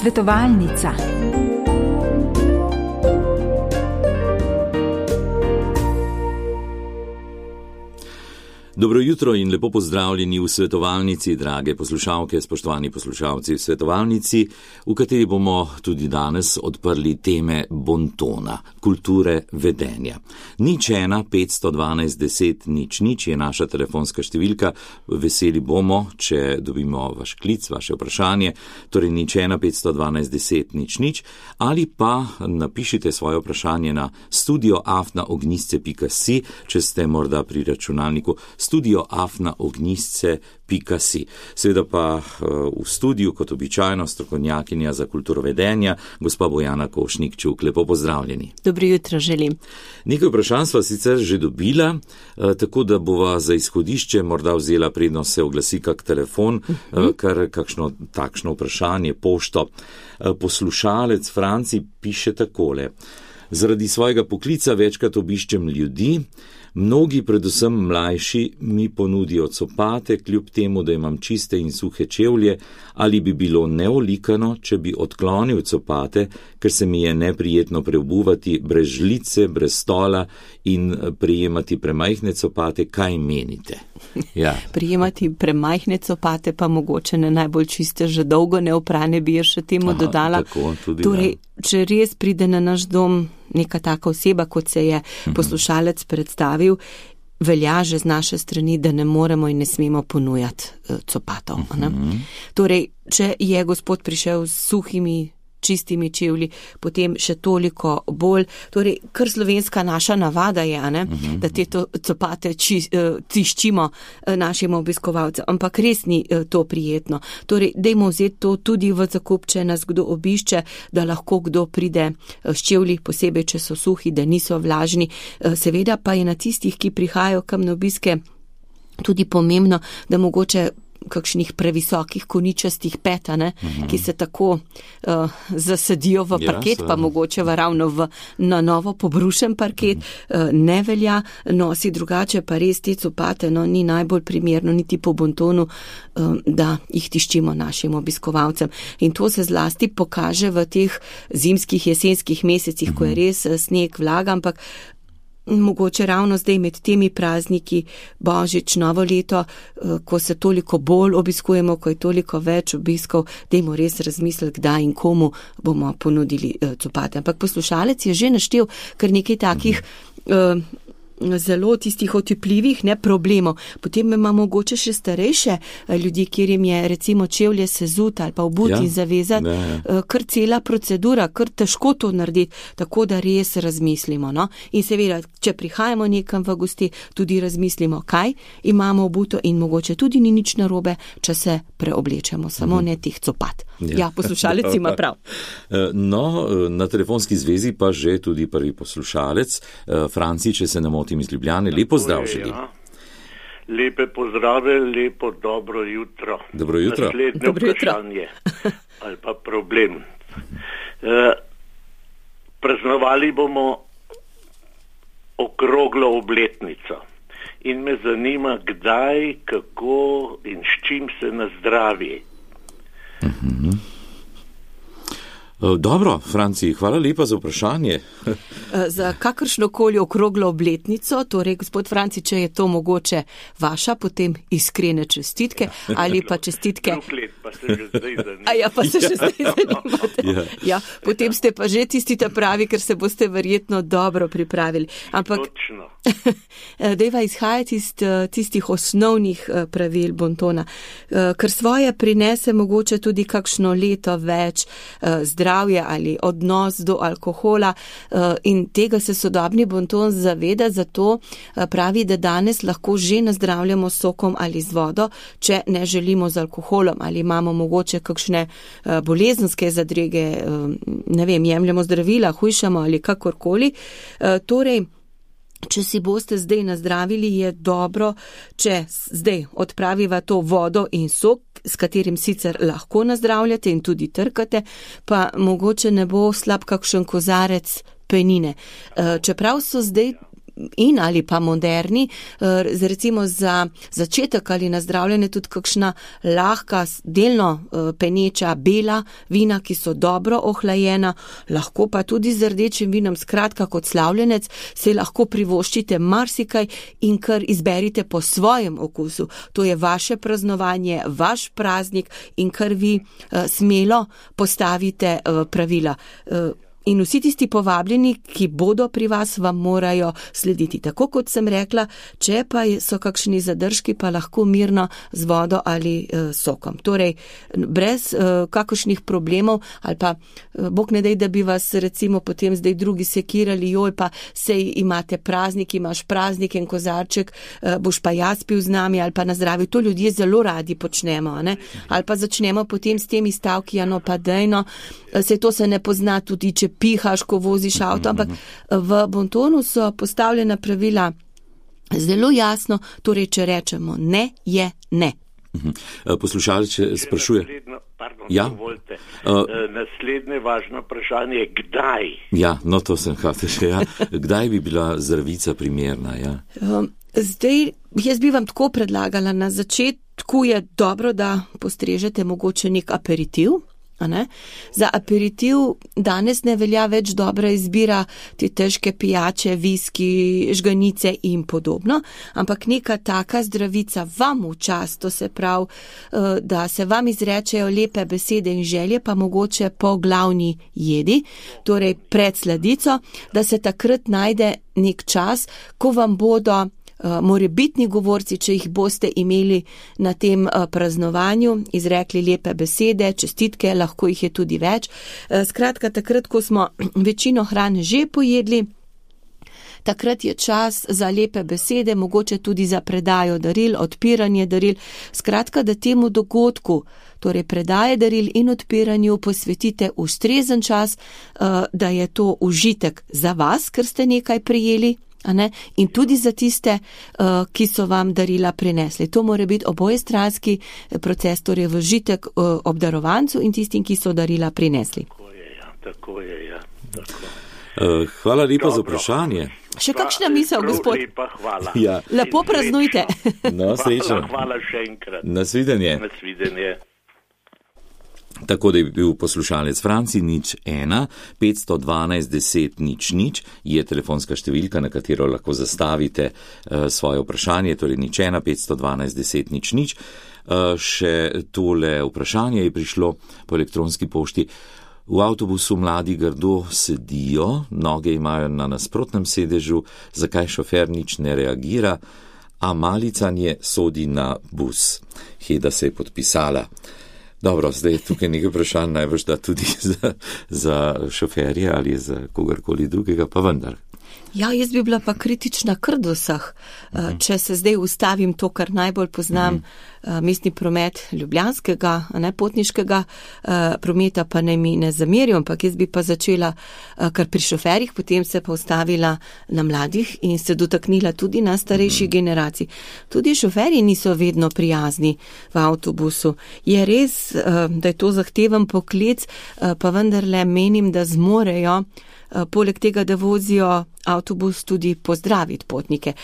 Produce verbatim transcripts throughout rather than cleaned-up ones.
Svetovalnica. Dobro jutro in lepo pozdravljeni v svetovalnici, drage poslušalke, spoštovani poslušalci v svetovalnici, v kateri bomo tudi danes odprli teme bontona, kulture vedenja. Nič ena petsto dvanajst deset nič nič je naša telefonska številka. Veseli bomo, če dobimo vaš klic, vaše vprašanje, torej nič ena petsto dvanajst deset nič nič, ali pa napišite svoje vprašanje na studio afna ognjisce pika si, če ste morda pri računalniku studio afna ognjisce pika si. Seveda pa v studiu, kot običajno, strokovnjakinja za kulturo vedenja, gospa Bojana Košnik-Čuk. Lepo pozdravljeni. Dobro jutro želim. Nekaj vprašanj sva sicer že dobila, tako da bova za izhodišče morda vzela prednost se oglasi kak telefon, uh-huh. kar kakšno takšno vprašanje, pošto. Poslušalec Franci piše takole. Zaradi svojega poklica večkrat obiščem ljudi, mnogi, predvsem mlajši, mi ponudijo copate, kljub temu, da imam čiste in suhe čevlje, ali bi bilo neolikano, če bi odklonil copate, ker se mi je neprijetno preobuvati brez žlice, brez stola in prijemati premajhne copate. Kaj menite? Ja. Prijemati premajhne copate pa mogoče ne najbolj čiste, že dolgo neoprane bi je še temu Aha, dodala. Tako, tudi, torej, če res pride na naš dom neka taka oseba, kot se je poslušalec predstavil, velja že z naše strani, da ne moremo in ne smemo ponujati copatov. Ne? Torej, če je gospod prišel s suhimi, čistimi čevlji, potem še toliko bolj. Torej, kar slovenska naša navada je, ne? Da te to, copate či, tiščimo našim obiskovalcem, ampak res ni to prijetno. Torej, dajmo vzeti to tudi v zakup, če nas kdo obišče, da lahko kdo pride s čevlji, posebej, če so suhi, da niso vlažni. Seveda pa je na tistih, ki prihajajo kam na obiske, tudi pomembno, da mogoče kakšnih previsokih koničastih pet, ne, uh-huh. ki se tako uh, zasadijo v parket, ja, pa mogoče v ravno v na novo pobrušen parket, uh-huh. uh, ne velja, nosi drugače, pa res te copate, no, ni najbolj primerno, niti po bontonu, uh, da jih tiščimo našim obiskovalcem. In to se zlasti pokaže v teh zimskih, jesenskih mesecih, uh-huh. ko je res sneg, vlaga, ampak mogoče ravno zdaj med temi prazniki, Božič, novo leto, ko se toliko bolj obiskujemo, ko je toliko več obiskov, dajmo res razmisliti, kdaj in komu bomo ponudili copate. Ampak poslušalec je že naštel kar nekaj takih uh, zelo tistih otipljivih, ne, problemov. Potem imamo mogoče še starejše ljudi, kjer jim je recimo čevlje sezut ali pa obuti ja, in zavezati, ja. kar cela procedura, kar težko to narediti, tako da res razmislimo. No? In seveda, če prihajamo nekam v gosti, tudi razmislimo, kaj imamo obuto in mogoče tudi ni nič narobe, če se preoblečemo, samo mhm. ne teh copat. Ja, ja poslušalec ima prav. No, na telefonski zvezi pa že tudi prvi poslušalec, Franci, če se ne motim iz Ljubljane. Lepo zdrav želim. Ja. Lepe pozdrave, lepo dobro jutro. Dobro jutro. Naslednje dobro vprašanje ali pa problem. E, praznovali bomo okroglo obletnico in me zanima, kdaj, kako in s čim se nazdravi. Mhm. Dobro, Franci, hvala lepa za vprašanje. Za kakršnokoli okroglo obletnico, torej gospod Franci, če je to mogoče vaša, potem iskrene čestitke ali pa čestitke. Let, pa se že zdaj zanimate. A ja, pa se že zdaj zanimate. Ja. Ja, potem ste pa že tisti ta pravi, ker se boste verjetno dobro pripravili. Ampak točno. Dejva izhajati iz tistih osnovnih pravil bontona, ker svoje prinese mogoče tudi kakšno leto več zdravje ali odnos do alkohola in tega se sodobni bonton zaveda, zato pravi, da danes lahko že nazdravljamo sokom ali z vodo, če ne želimo z alkoholom ali imamo mogoče kakšne bolezenske zadrege, ne vem, jemljamo zdravila, hujšamo ali kakorkoli. Torej, če si boste zdaj nazdravili, je dobro, če zdaj odpraviva to vodo in sok, s katerim sicer lahko nazdravljate in tudi trkate, pa mogoče ne bo slab kakšen kozarec penine. Čeprav so zdaj in ali pa moderni, recimo za začetek ali na zdravljenje tudi kakšna lahka, delno peneča bela vina, ki so dobro ohlajena, lahko pa tudi z rdečim vinom, skratka kot slavljenec, se lahko privoščite marsikaj in kar izberite po svojem okusu. To je vaše praznovanje, vaš praznik in kar vi smelo postavite pravila. In vsi tisti povabljeni, ki bodo pri vas, vam morajo slediti. Tako kot sem rekla, če pa so kakšni zadržki, pa lahko mirno z vodo ali uh, sokom. Torej, brez uh, kakršnih problemov ali pa uh, Bog ne dej, da bi vas recimo potem zdaj drugi sekirali, joj pa sej imate praznik, imaš praznik in kozarček, uh, boš pa jaz pil z nami ali pa na zdravju. To ljudje zelo radi počnemo, ne? Ali pa začnemo potem s temi stavki, ja no pa dejno, se to se ne pozna tudi, če pihaš, ko voziš avto, ampak v Bontonu so postavljena pravila zelo jasno, torej, če rečemo ne, je ne. Poslušalec sprašuje. Naslednjo, pardon, ja? dovolite. Uh, Naslednje važno vprašanje je, kdaj? Ja, no to sem hotel še, ja. Kdaj bi bila zdravica primerna, ja? Um, zdaj, jaz bi vam tako predlagala, na začetku je dobro, da postrežete mogoče nek aperitiv. Za aperitiv danes ne velja več dobra izbira te težke pijače, viski, žganice in podobno, ampak neka taka zdravica vam v čast, to se pravi, da se vam izrečejo lepe besede in želje, pa mogoče po glavni jedi, torej pred sladico, da se takrat najde nek čas, ko vam bodo morebitni govorci, če jih boste imeli na tem praznovanju, izrekli lepe besede, čestitke, lahko jih je tudi več. Skratka, takrat, ko smo večino hrane že pojedli, takrat je čas za lepe besede, mogoče tudi za predajo daril, odpiranje daril. Skratka, da temu dogodku, torej predaje daril in odpiranju, posvetite ustrezen čas, da je to užitek za vas, ker ste nekaj prejeli, in tudi za tiste, ki so vam darila prinesli. To mora biti obojestranski proces, torej v užitek obdarovancu in tistim, ki so darila prinesli. Tako je, ja, tako je, ja. Tako. Hvala lepa za vprašanje. Še kakšna misel, gospod? Lepa, hvala. Ja. Lepo praznujte. No, srečno. Hvala, hvala še enkrat. Nasvidenje. Nasvidenje. Tako da je bil poslušalec Franci nič ena, petsto dvanajst deset nič nič, je telefonska številka, na katero lahko zastavite uh, svoje vprašanje, torej nič ena, petsto dvanajst deset nič nič. Uh, še tole vprašanje je prišlo po elektronski pošti. V avtobusu mladi grdo sedijo, noge imajo na nasprotnem sedežu, zakaj šofer nič ne reagira, a malicanje sodi na bus. Heda se je podpisala. Dobro, zdaj je tukaj nekaj vprašanj, najbrž da tudi za, za šoferje ali za kogarkoli drugega, pa vendar. Ja, jaz bi bila pa kritična kar do vseh. Uh-huh. Če se zdaj ustavim to, kar najbolj poznam, uh-huh. mestni promet ljubljanskega, ne potniškega uh, prometa, pa ne mi ne zamerijo, ampak jaz bi pa začela uh, kar pri šoferjih, potem se pa ustavila na mladih in se dotaknila tudi na starejših uh-huh. generacij. Tudi šoferji niso vedno prijazni v avtobusu. Je res, uh, da je to zahteven poklic, uh, pa vendarle menim, da zmorejo, uh, poleg tega, da vozijo avtobus, tudi pozdraviti potnike.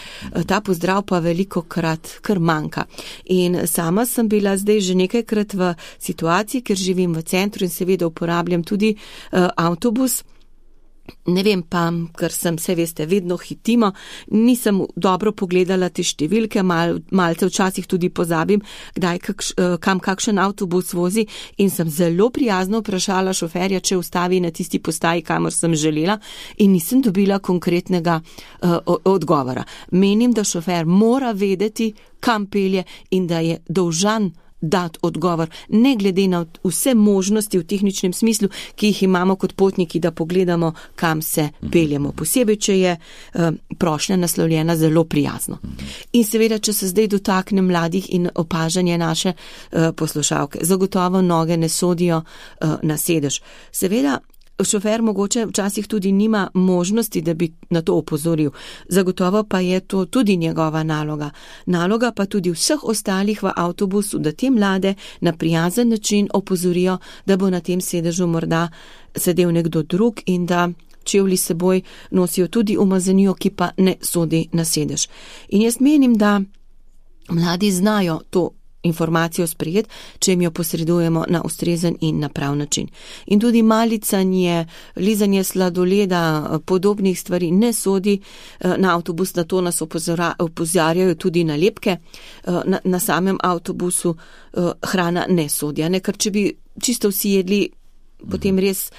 Ta pozdrav pa veliko krat kar manjka. In sama sem bila zdaj že nekajkrat v situaciji, ker živim v centru in seveda uporabljam tudi uh, avtobus. Ne vem pa, ker sem, se veste, vedno hitimo, nisem dobro pogledala te številke, mal, malce včasih tudi pozabim, kdaj, kakš, kam kakšen avtobus vozi in sem zelo prijazno vprašala šoferja, če ustavi na tisti postaji, kamor sem želela in nisem dobila konkretnega uh, odgovora. Menim, da šofer mora vedeti, kam pelje in da je dolžan dati odgovor, ne glede na vse možnosti v tehničnem smislu, ki jih imamo kot potniki, da pogledamo, kam se peljemo. Posebej, če je uh, prošnja naslovljena zelo prijazno. In seveda, če se zdaj dotaknem mladih in opažanje naše uh, poslušalke, zagotovo noge ne sodijo uh, na sedež. Seveda, šofer mogoče včasih tudi nima možnosti, da bi na to opozoril. Zagotovo pa je to tudi njegova naloga. Naloga pa tudi vseh ostalih v avtobusu, da te mlade na prijazen način opozorijo, da bo na tem sedežu morda sedel nekdo drug in da čevlji seboj nosijo tudi umazanijo, ki pa ne sodi na sedež. In jaz menim, da mladi znajo to informacijo sprejeti, če jim jo posredujemo na ustrezen in na prav način. In tudi malicanje, lizanje sladoleda, podobnih stvari ne sodi na avtobus, na to nas opozarjajo tudi nalepke na, na samem avtobusu, hrana ne sodi. Ne? Ker če bi čisto vsi jedli, potem res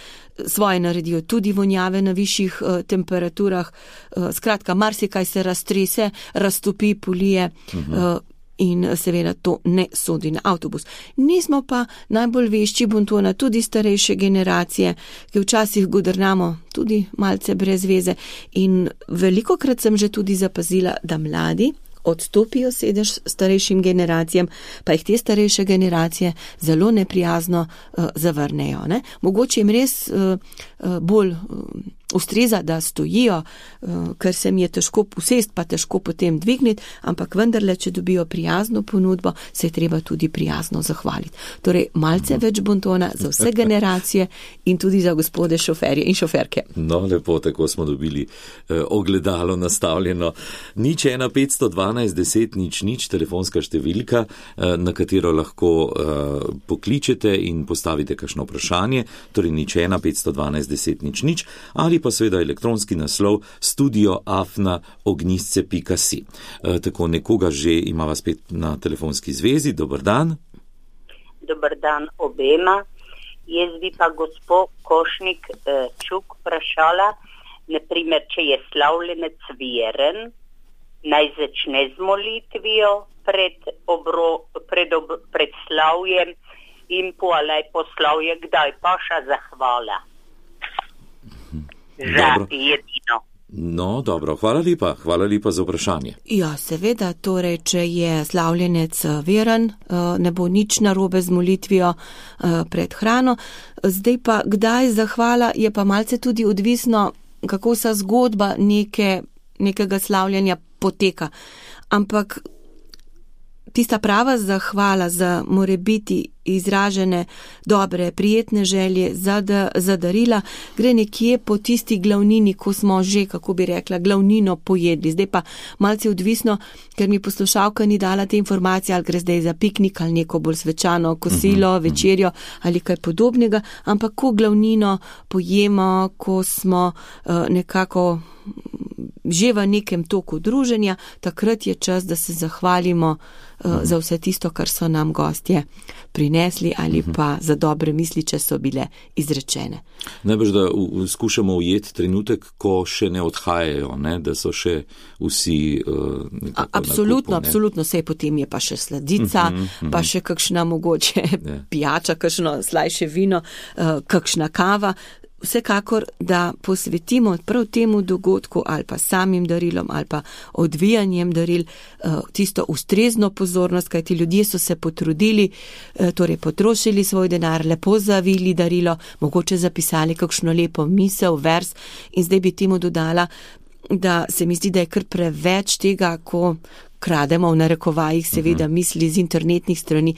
svoje naredijo, tudi vonjave na višjih uh, temperaturah, uh, skratka, marsikaj se raztrese, raztopi, polije, uh, in seveda to ne sodi na avtobus. Nismo pa najbolj vešči bontona, tudi starejše generacije, ki včasih godrnamo tudi malce brez veze, in velikokrat sem že tudi zapazila, da mladi odstopijo sedež starejšim generacijam, pa jih te starejše generacije zelo neprijazno uh, zavrnejo. Ne? Mogoče jim res uh, uh, bolj uh, ustreza, da stojijo, uh, ker se mi je težko usest, pa težko potem dvigniti, ampak vendarle, če dobijo prijazno ponudbo, se je treba tudi prijazno zahvaliti. Torej, malce več bontona za vse generacije in tudi za gospode šoferje in šoferke. No, lepo, tako smo dobili eh, ogledalo nastavljeno. Nič ena petsto dvanajst deset nič nič, telefonska številka, eh, na katero lahko eh, pokličete in postavite kakšno vprašanje, torej nič ena petsto dvanajst deset nič nič, ali pa seveda elektronski naslov studio afna ognjisce pika si. E, tako nekoga že imava spet na telefonski zvezi. Dober dan. Dober dan obema. Jaz bi pa gospod Košnik eh, Čuk vprašala, naprimer, če je slavljenec veren, naj začne z molitvijo pred, obro, pred, ob, pred slavjem in poalaj poslavje, kdaj pa ša zahvala. Za jedino. No, dobro, hvala lepa, hvala lepa za vprašanje. Ja, seveda, torej, če je slavljenec veren, ne bo nič narobe z molitvijo pred hrano. Zdaj pa, kdaj zahvala, je pa malce tudi odvisno, kako sa zgodba neke, nekega slavljenja poteka. Ampak tista prava zahvala za morebiti izražene dobre, prijetne želje za, da, za darila, gre nekje po tisti glavnini, ko smo že, kako bi rekla, glavnino pojedli. Zdaj pa malce odvisno, ker mi poslušalka ni dala te informacije, ali gre zdaj za piknik, ali neko bolj svečano kosilo, uh-huh, večerjo ali kaj podobnega, ampak ko glavnino pojemo, ko smo uh, nekako že v nekem toku druženja, takrat je čas, da se zahvalimo uh, za vse tisto, kar so nam gostje prinesli ali pa za dobre misli, če so bile izrečene. Najbrž, da u, skušamo ujeti trenutek, ko še ne odhajajo, ne? Da so še vsi uh, nekako A, absolutno, na kupu, absolutno, sej potem je pa še sladica, uh-huh, uh-huh. pa še kakšna mogoče yeah. pijača, kakšno slajše vino, uh, kakšna kava. Vsekakor, da posvetimo prav temu dogodku ali pa samim darilom ali pa odvijanjem daril tisto ustrezno pozornost, kajti ljudje so se potrudili, torej potrošili svoj denar, lepo zavili darilo, mogoče zapisali kakšno lepo misel, vers, in zdaj bi temu dodala, da se mi zdi, da je kar preveč tega, ko krademo v narekovajih seveda misli z internetnih strani.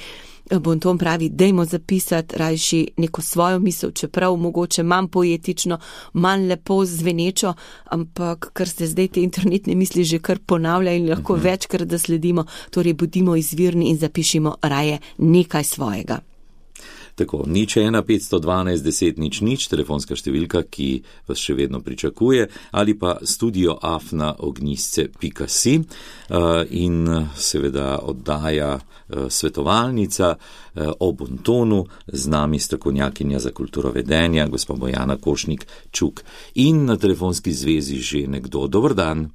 Bonton pravi, dajmo zapisati rajši neko svojo misel, čeprav mogoče manj poetično, manj lepo zvenečo, ampak ker se zdaj te internetne misli že kar ponavljajo in lahko uh-huh. večkrat da sledimo, torej bodimo izvirni in zapišimo raje nekaj svojega. Tako, nič ena petsto dvanajst deset nič nič, telefonska številka, ki vas še vedno pričakuje, ali pa studio afna ognjisce pika si uh, in seveda oddaja uh, svetovalnica uh, o bontonu, z nami strokovnjakinja za kulturo vedenja, gospa Bojana Košnik Čuk. In na telefonski zvezi že nekdo. Dober dan.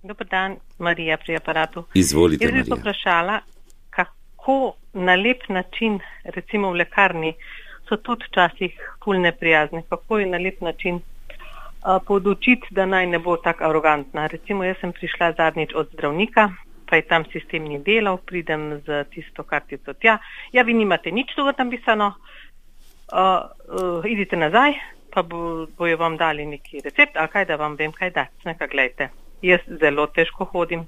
Dober dan, Marija pri aparatu. Izvolite, Marija. Jaz bi poprašala, kako na lep način, recimo v lekarni, so tudi včasih ful neprijazni, kako je na lep način uh, podučiti, da naj ne bo tako arogantna. Recimo, jaz sem prišla zadnjič od zdravnika, pa je tam sistem ni delal, pridem z tisto kartico tja, ja, vi nimate nič tu napisano, uh, uh, idite nazaj, pa bo, bojo vam dali neki recept, ali kaj, da vam vem, kaj dati. Nekaj, gledajte, jaz zelo težko hodim,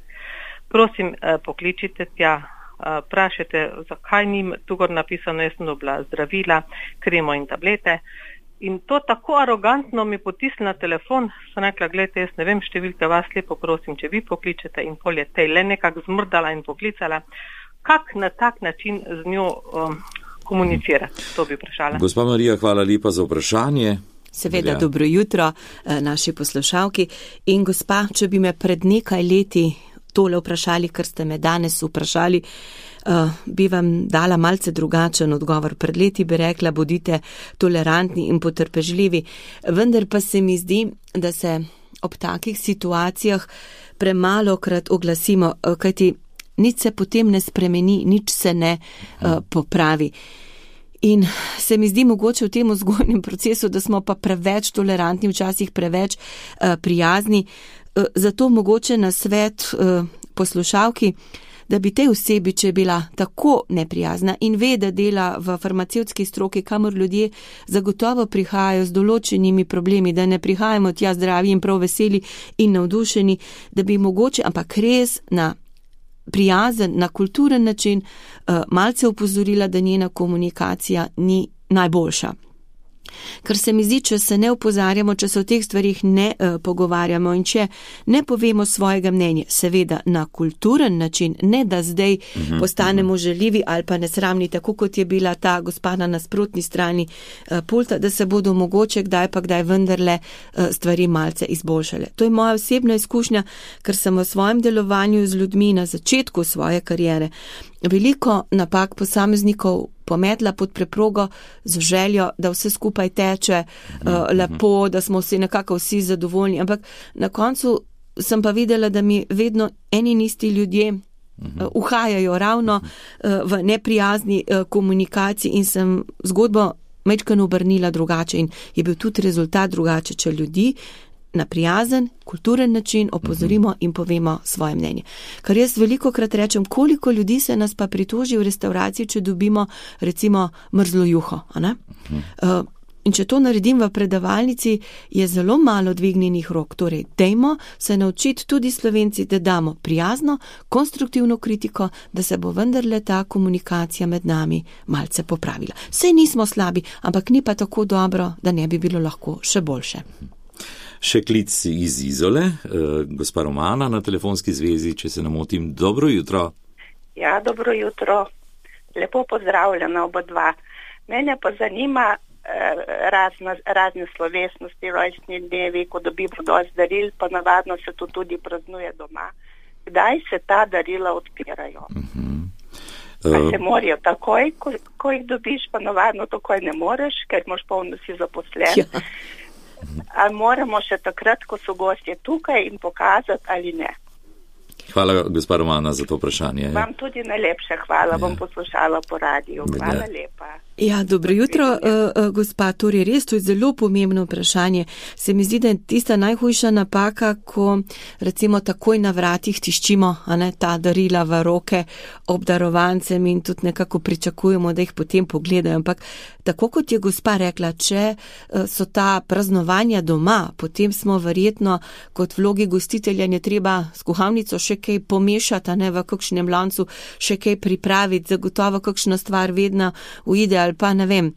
prosim, uh, pokličite tja, Uh, prašete, zakaj ni tu gor napisano, jaz sem dobila zdravila, kremo in tablete In to tako arogantno mi potisne na telefon, sem rekla, gledajte, jaz ne vem številke, vas lepo prosim, če vi pokličete, in pol je tej le nekako zmrdala in poklicala. Kak na tak način z njo um, komunicirati? To bi vprašala. Gospa Marija, hvala lepa za vprašanje. Seveda, Ja. dobro jutro naši poslušalki. In gospa, če bi me pred nekaj leti tole vprašali, kar ste me danes vprašali, Uh, bi vam dala malce drugačen odgovor. Pred leti bi rekla, bodite tolerantni in potrpežljivi. Vendar pa se mi zdi, da se ob takih situacijah premalokrat oglasimo, kajti nič se potem ne spremeni, nič se ne uh, popravi. In se mi zdi mogoče v tem vzgojnem procesu, da smo pa preveč tolerantni, včasih preveč uh, prijazni. Uh, zato mogoče na svet uh, poslušalki, da bi tej osebi, če je bila tako neprijazna in ve, da dela v farmacevtski stroki, kamor ljudje zagotovo prihajajo z določenimi problemi, da ne prihajamo tja zdravi in prav veseli in navdušeni, da bi mogoče, ampak res na prijazen, na kulturen način uh, malce opozorila, da njena komunikacija ni najboljša. Ker se mi zdi, če se ne opozarjamo, če se o teh stvarih ne uh, pogovarjamo in če ne povemo svojega mnenja, seveda na kulturen način, ne da zdaj uh-huh, postanemo uh-huh. žaljivi ali pa nesramni, tako kot je bila ta gospa na nasprotni strani uh, pulta, da se bodo mogoče kdaj pa kdaj vendarle uh, stvari malce izboljšale. To je moja osebna izkušnja, ker sem v svojem delovanju z ljudmi na začetku svoje kariere veliko napak posameznikov pometla pod preprogo z željo, da vse skupaj teče uh, lepo, da smo vsi nekako vsi zadovoljni, ampak na koncu sem pa videla, da mi vedno eni in isti ljudje uh, uhajajo ravno uh, v neprijazni uh, komunikaciji in sem zgodbo majčkeno obrnila drugače in je bil tudi rezultat drugače, če ljudi na prijazen, kulturen način opozorimo in povemo svoje mnenje. Kar jaz veliko krat rečem, koliko ljudi se nas pa pritoži v restavraciji, če dobimo recimo mrzlo juho. A ne? Uh, in če to naredim v predavalnici, je zelo malo dvignjenih rok. Torej, dejmo se naučiti tudi Slovenci, da damo prijazno, konstruktivno kritiko, da se bo vendarle ta komunikacija med nami malce popravila. Sej nismo slabi, ampak ni pa tako dobro, da ne bi bilo lahko še boljše. Še klic iz Izole, uh, gospa Romana na telefonski zvezi, če se ne motim. Dobro jutro. Ja, dobro jutro. Lepo pozdravljena oba dva. Mene pa zanima eh, razne, razne slovesnosti, rojstni dnevi, ko dobimo dosti daril, pa navadno se to tudi praznuje doma. Kdaj se ta darila odpirajo? Uh-huh. Pa se morajo takoj, ko, ko jih dobiš, pa navadno takoj ne moreš, ker imaš polno si zaposlen. Ja. Ali moramo še takrat, ko so gostje tukaj in pokazati ali ne? Hvala, gospa Romana, za to vprašanje. Vam tudi najlepše hvala, ja. Bom poslušala po radiju. Hvala ja. lepa. Ja, dobro jutro, uh, gospa, torej res, to je zelo pomembno vprašanje. Se mi zdi, da je tista najhujša napaka, ko recimo takoj na vratih tiščimo, a ne, ta darila v roke obdarovancem in tudi nekako pričakujemo, da jih potem pogledajo. Ampak tako kot je gospa rekla, če so ta praznovanja doma, potem smo verjetno kot vlogi gostitelja ne treba s kuhalnico še kaj pomešati, a ne, v kakšnem lancu še kaj pripraviti, zagotovo kakšna stvar vedno uide, ali pa ne vem,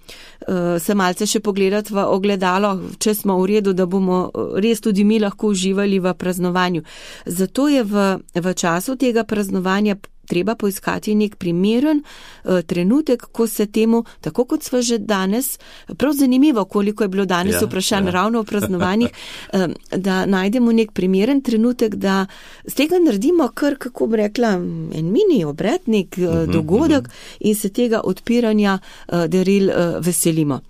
se malce še pogledati v ogledalo, če smo v redu, da bomo res tudi mi lahko uživali v praznovanju. Zato je v, v času tega praznovanja treba poiskati nek primeren uh, trenutek, ko se temu, tako kot sva že danes, prav zanimivo, koliko je bilo danes ja, vprašanj ja. ravno o praznovanjih, um, da najdemo nek primeren trenutek, da z tega naredimo kar, kako bi rekla, en mini obrednik, uh, uh-huh, dogodek uh-huh. in se tega odpiranja uh, daril uh, veselimo.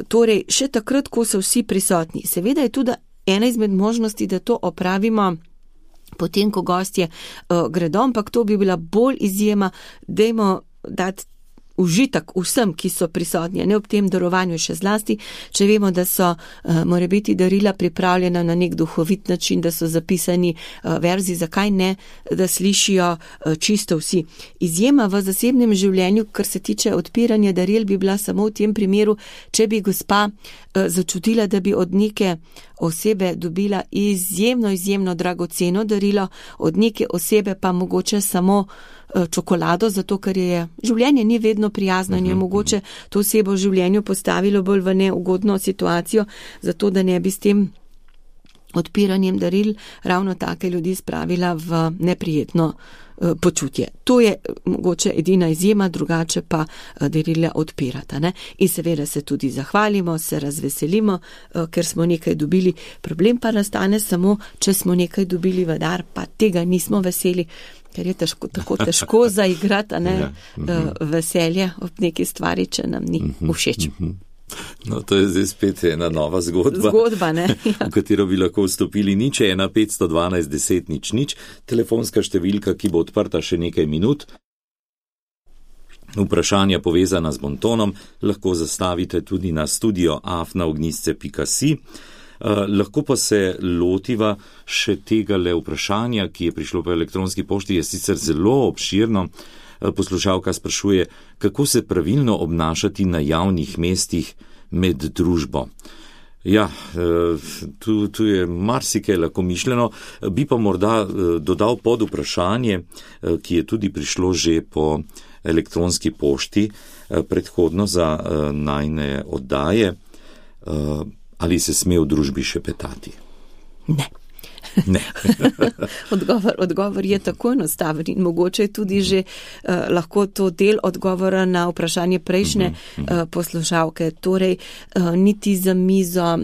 Torej, še takrat, ko so vsi prisotni. Seveda je tudi ena izmed možnosti, da to opravimo potem, ko gostje uh, gredo, ampak to bi bila bolj izjema, dajmo dati užitek vsem, ki so prisotni, ne ob tem darovanju še zlasti, če vemo, da so uh, mora biti darila pripravljena na nek duhovit način, da so zapisani uh, verzi, zakaj ne, da slišijo uh, čisto vsi. Izjema v zasebnem življenju, kar se tiče odpiranja daril, bi bila samo v tem primeru, če bi gospa uh, začutila, da bi od neke osebe dobila izjemno, izjemno dragoceno darilo, od neke osebe pa mogoče samo čokolado, zato ker je življenje ni vedno prijazno in je mogoče to osebo v življenju postavilo bolj v neugodno situacijo, zato da ne bi s tem odpiranjem daril ravno take ljudi spravila v neprijetno počutje. To je mogoče edina izjema, drugače pa darila odpirata. Ne? In seveda se tudi zahvalimo, se razveselimo, ker smo nekaj dobili. Problem pa nastane samo, če smo nekaj dobili v dar, pa tega nismo veseli, ker je težko, tako težko zaigrati, ne, ja. veselje ob neki stvari, če nam ni všeč. No, to je zdaj spet ena nova zgodba, zgodba ne? Ja. v katero bi lahko vstopili. Nič je ena petsto dvanajst deset nič nič, telefonska številka, ki bo odprta še nekaj minut. Vprašanja povezana z bontonom lahko zastavite tudi na studio afna ognjisce pika si. Uh, lahko pa se lotiva še tega le vprašanja, ki je prišlo po elektronski pošti, je sicer zelo obširno. Poslušalka sprašuje, kako se pravilno obnašati na javnih mestih med družbo. Ja, tu, tu je marsikaj lahko mišljeno, bi pa morda dodal pod vprašanje, ki je tudi prišlo že po elektronski pošti predhodno za najine oddaje, ali se sme v družbi šepetati? Ne. Ne. odgovor, odgovor je tako enostaven in mogoče je tudi že uh, lahko to del odgovora na vprašanje prejšnje uh, poslušalke. Torej, uh, niti za mizo,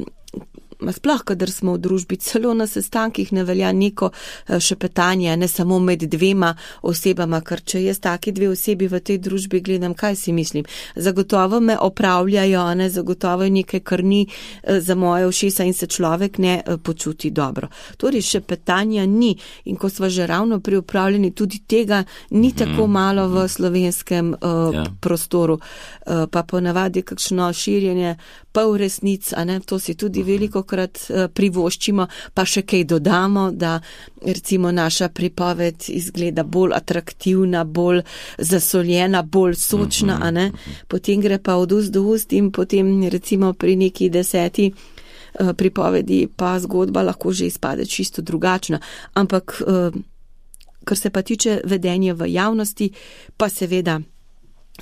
sploh, kadar smo v družbi, celo na sestankih ne velja neko šepetanje, ne samo med dvema osebama, ker če jaz taki dve osebi v tej družbi gledam, kaj si mislim. Zagotovo me opravljajo, ne, zagotovo je nekaj, kar ni za moje ušesa in se človek ne počuti dobro. Torej, šepetanja ni in ko sva že ravno pri upravljanju, tudi tega ni tako malo v slovenskem uh, ja. prostoru. Uh, pa ponavadi kakšno širjenje pol resnic, a ne, to si tudi veliko krat privoščimo, pa še kaj dodamo, da recimo naša pripoved izgleda bolj atraktivna, bolj zasoljena, bolj sočna, a ne. Potem gre pa od ust do ust in potem recimo pri neki deseti pripovedi pa zgodba lahko že izpade čisto drugačna. Ampak, kar se pa tiče vedenja v javnosti, pa seveda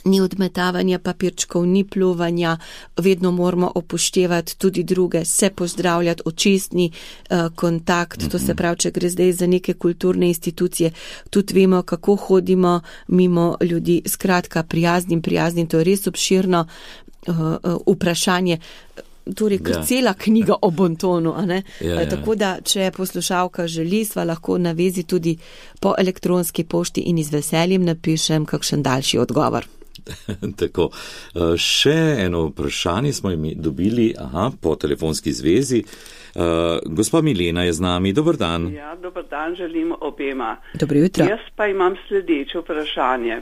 ni odmetavanja papirčkov, ni pljuvanja, vedno moramo upoštevati tudi druge, se pozdravljati, očesni uh, kontakt, mm-hmm. to se pravi, če gre zdaj za neke kulturne institucije, tudi vemo, kako hodimo mimo ljudi, skratka, prijaznim, prijaznim, to je res obširno uh, uh, vprašanje, torej, kar ja. cela knjiga o bontonu, a ne? Ja, ja. Tako da, če poslušalka želi, sva lahko navezi tudi po elektronski pošti in z veseljem napišem kakšen daljši odgovor. Tako, še eno vprašanje smo jim dobili, aha, po telefonski zvezi. Uh, gospa Milena je z nami, dober dan. Ja, dober dan želim obema. Dobro jutro. Jaz pa imam sledeče vprašanje.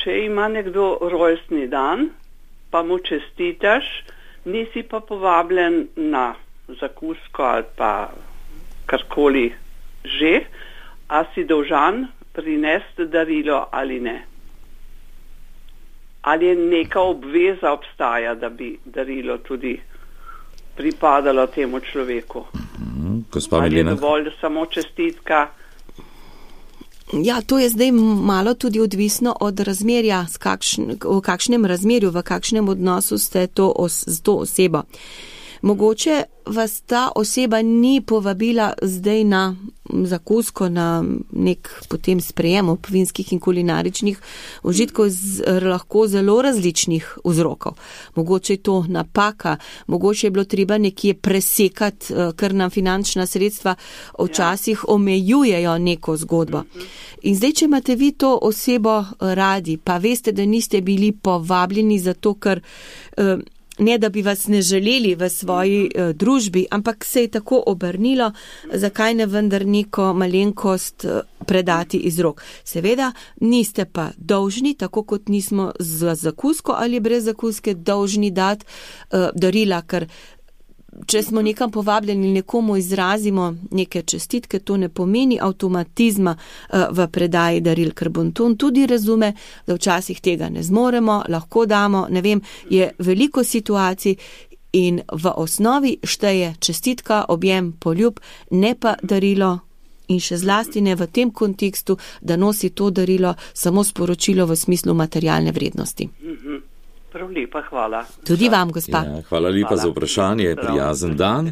Če ima nekdo rojstni dan, pa mu čestitaš, nisi pa povabljen na zakusko ali pa karkoli že, a si dolžan prinesti darilo ali ne? Ali je neka obveza obstaja, da bi darilo tudi pripadalo temu človeku? Mm, gospa ali Milena. Je dovolj samo čestitka? Ja, to je zdaj malo tudi odvisno od razmerja, kakšn, v kakšnem razmerju, v kakšnem odnosu ste to os, z to osebo. Mogoče vas ta oseba ni povabila zdaj na zakusko, na nek potem sprejem ob vinskih in kulinaričnih užitkov z lahko zelo različnih vzrokov. Mogoče je to napaka, mogoče je bilo treba nekje presekati, ker nam finančna sredstva včasih omejujejo neko zgodbo. In zdaj, če imate vi to osebo radi, pa veste, da niste bili povabljeni zato, ker ne da bi vas ne želeli v svoji uh, družbi, ampak se je tako obrnilo, zakaj ne vendar neko malenkost uh, predati iz rok. Seveda, niste pa dolžni, tako kot nismo z zakusko ali brez zakuske dolžni dati uh, darila, ker če smo nekam povabljeni, nekomu izrazimo neke čestitke, to ne pomeni avtomatizma uh, v predaji daril, ker bonton tudi razume, da včasih tega ne zmoremo, lahko damo, ne vem, je veliko situacij in v osnovi šteje čestitka, objem, poljub, ne pa darilo In še zlasti ne v tem kontekstu, da nosi to darilo samo sporočilo v smislu materialne vrednosti. Mhm. Prav lepa, hvala. Tudi vam, gospa. Ja, hvala lepa hvala. Za vprašanje, prijazen dan.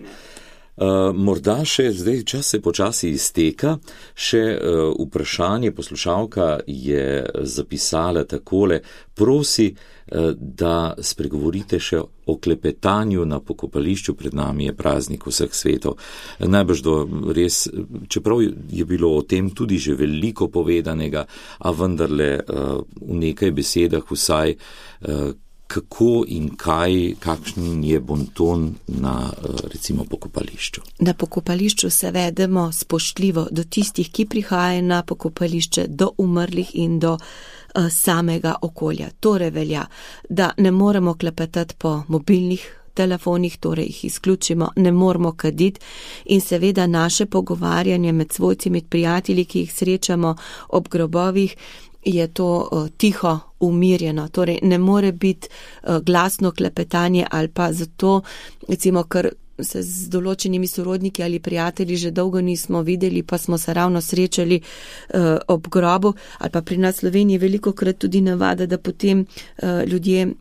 Uh, morda še, zdaj čas se počasi izteka, še uh, vprašanje poslušalka je zapisala takole, prosi, uh, da spregovorite še o klepetanju na pokopališču, pred nami je praznik vseh svetov. Najbrž do res, čeprav je bilo o tem tudi že veliko povedanega, a vendarle uh, v nekaj besedah vsaj, uh, kako in kaj, kakšen je bonton na, recimo, pokopališču? Na pokopališču se vedemo spoštljivo do tistih, ki prihajajo na pokopališče, do umrlih in do uh, samega okolja. Torej velja, da ne moremo klepetati po mobilnih telefonih, torej jih izključimo, ne moramo kaditi in seveda naše pogovarjanje med svojci, med prijatelji, ki jih srečamo ob grobovih, je to uh, tiho, umirjeno, torej ne more biti uh, glasno klepetanje ali pa zato, recimo, ker se z določenimi sorodniki ali prijatelji že dolgo nismo videli, pa smo se ravno srečali uh, ob grobu, ali pa pri nas v Sloveniji veliko krat tudi navada, da potem uh, ljudje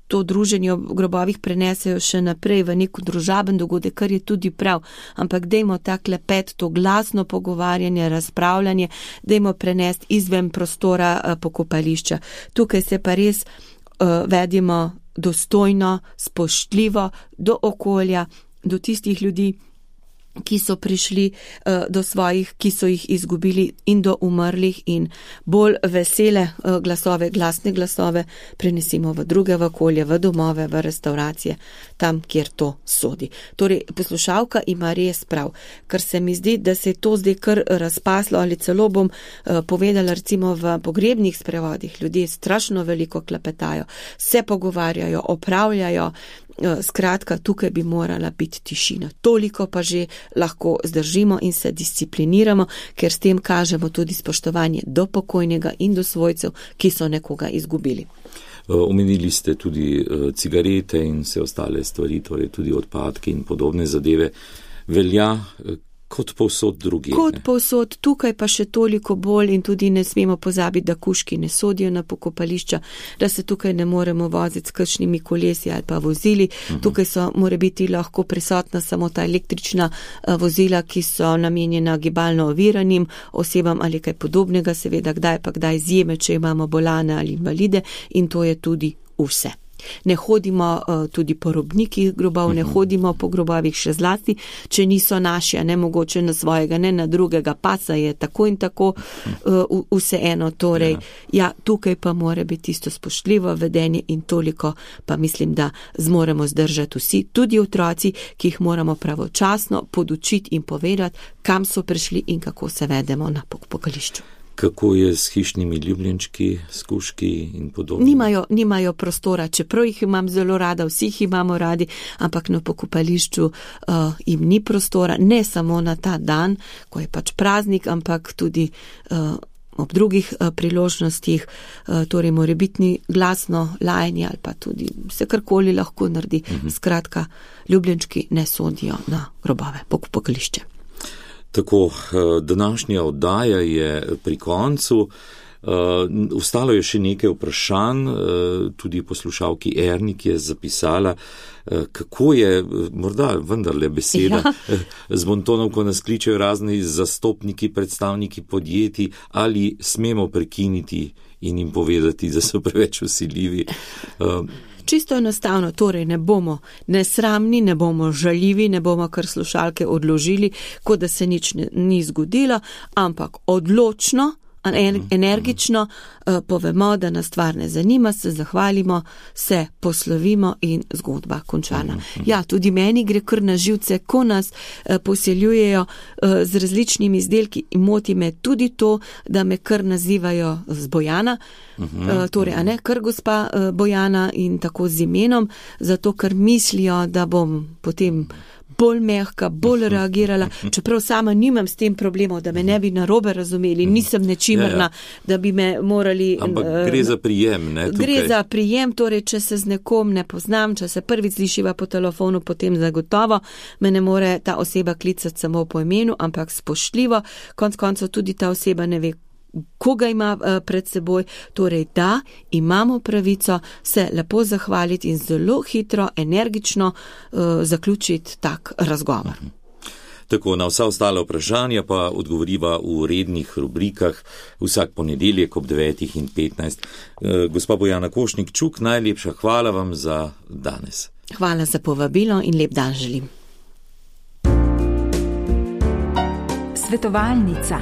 to druženje ob grobovih prenesejo še naprej v nek družaben dogodek, kar je tudi prav, ampak dajmo ta klepet, to glasno pogovarjanje, razpravljanje, dajmo prenesti izven prostora uh, pokopališča. Tukaj se pa res uh, vedimo dostojno, spoštljivo do okolja, do tistih ljudi, ki so prišli uh, do svojih, ki so jih izgubili in do umrlih in bolj vesele uh, glasove, glasne glasove prenesimo v druge v okolje, v domove, v restauracije, tam, kjer to sodi. Torej, poslušalka ima res prav, ker se mi zdi, da se je to zdaj kar razpaslo ali celo bom uh, povedala recimo v pogrebnih sprevodih. Ljudje strašno veliko klepetajo, se pogovarjajo, opravljajo, skratka, tukaj bi morala biti tišina. Toliko pa že lahko zdržimo in se discipliniramo, ker s tem kažemo tudi spoštovanje do pokojnega in do svojcev, ki so nekoga izgubili. Omenili ste tudi cigarete in vse ostale stvari, torej tudi odpadke in podobne zadeve. Velja kot povsod drugi. Kot povsod, tukaj pa še toliko bolj in tudi ne smemo pozabiti, da kužki ne sodijo na pokopališča, da se tukaj ne moremo voziti s kakšnimi kolesi ali pa vozili. Uh-huh. Tukaj so, mora biti lahko prisotna samo ta električna uh, vozila, ki so namenjena gibalno oviranim osebam ali kaj podobnega, seveda kdaj pa kdaj izjeme, če imamo bolane ali invalide in to je tudi vse. Ne hodimo uh, tudi po robnikih grobov, ne hodimo po grobovih še zlasti, če niso naši, a ne mogoče na svojega, ne na drugega pasa, je tako in tako uh, vseeno. Torej, ja, tukaj pa mora biti isto spoštljivo vedenje in toliko pa mislim, da zmoremo zdržati vsi, tudi otroci, ki jih moramo pravočasno podučiti in povedati, kam so prišli in kako se vedemo na pokopališču. Kako je s hišnimi ljubljenčki, skuški in podobno? Nimajo, nimajo prostora, čeprav jih imam zelo rada, vsi jih imamo radi, ampak na pokopališču uh, jim ni prostora, ne samo na ta dan, ko je pač praznik, ampak tudi uh, ob drugih uh, priložnostih, uh, torej morebitni glasno lajanje ali pa tudi vse karkoli lahko naredi. Uh-huh. Skratka, ljubljenčki ne sodijo na grobove, pokopališče. Tako, današnja oddaja je pri koncu. Ostalo je še nekaj vprašanj, tudi poslušalki Ernik je zapisala, kako je, morda vendarle beseda, ja. Z bontonom, ko nas kličejo razni zastopniki, predstavniki podjetij, ali smemo prekiniti in jim povedati, da so preveč vsiljivi. Čisto enostavno, torej ne bomo nesramni, ne bomo žaljivi, ne bomo kar slušalke odložili, kot da se nič ne, ni zgodilo, ampak odločno, energično uh, povemo, da nas stvar ne zanima, se zahvalimo, se poslovimo in zgodba končana. Ja, tudi meni gre kar na živce, ko nas uh, poseljujejo uh, z različnimi izdelki in moti me tudi to, da me kar nazivajo z Bojana, uh, torej, a ne, kar gospa uh, Bojana in tako z imenom, zato ker mislijo, da bom potem bolj mehka, bolj reagirala, čeprav sama nimam s tem problemov, da me ne bi narobe razumeli, nisem nečimerna, ja, ja. da bi me morali... Ampak gre za prijem, ne? Tukaj. Gre za prijem, torej, če se z nekom ne poznam, če se prvič slišiva po telefonu, potem zagotovo me ne more ta oseba klicati samo po imenu, ampak spoštljivo, konc koncev tudi ta oseba ne ve, koga ima pred seboj, torej da, imamo pravico se lepo zahvaliti in zelo hitro, energično uh, zaključiti tak razgovor. Tako, na vsa ostala vprašanja pa odgovoriva v rednih rubrikah vsak ponedeljek ob devetih in petnajst. Gospa Bojana Košnik-Čuk, najlepša hvala vam za danes. Hvala za povabilo in lep dan želim. Svetovalnica.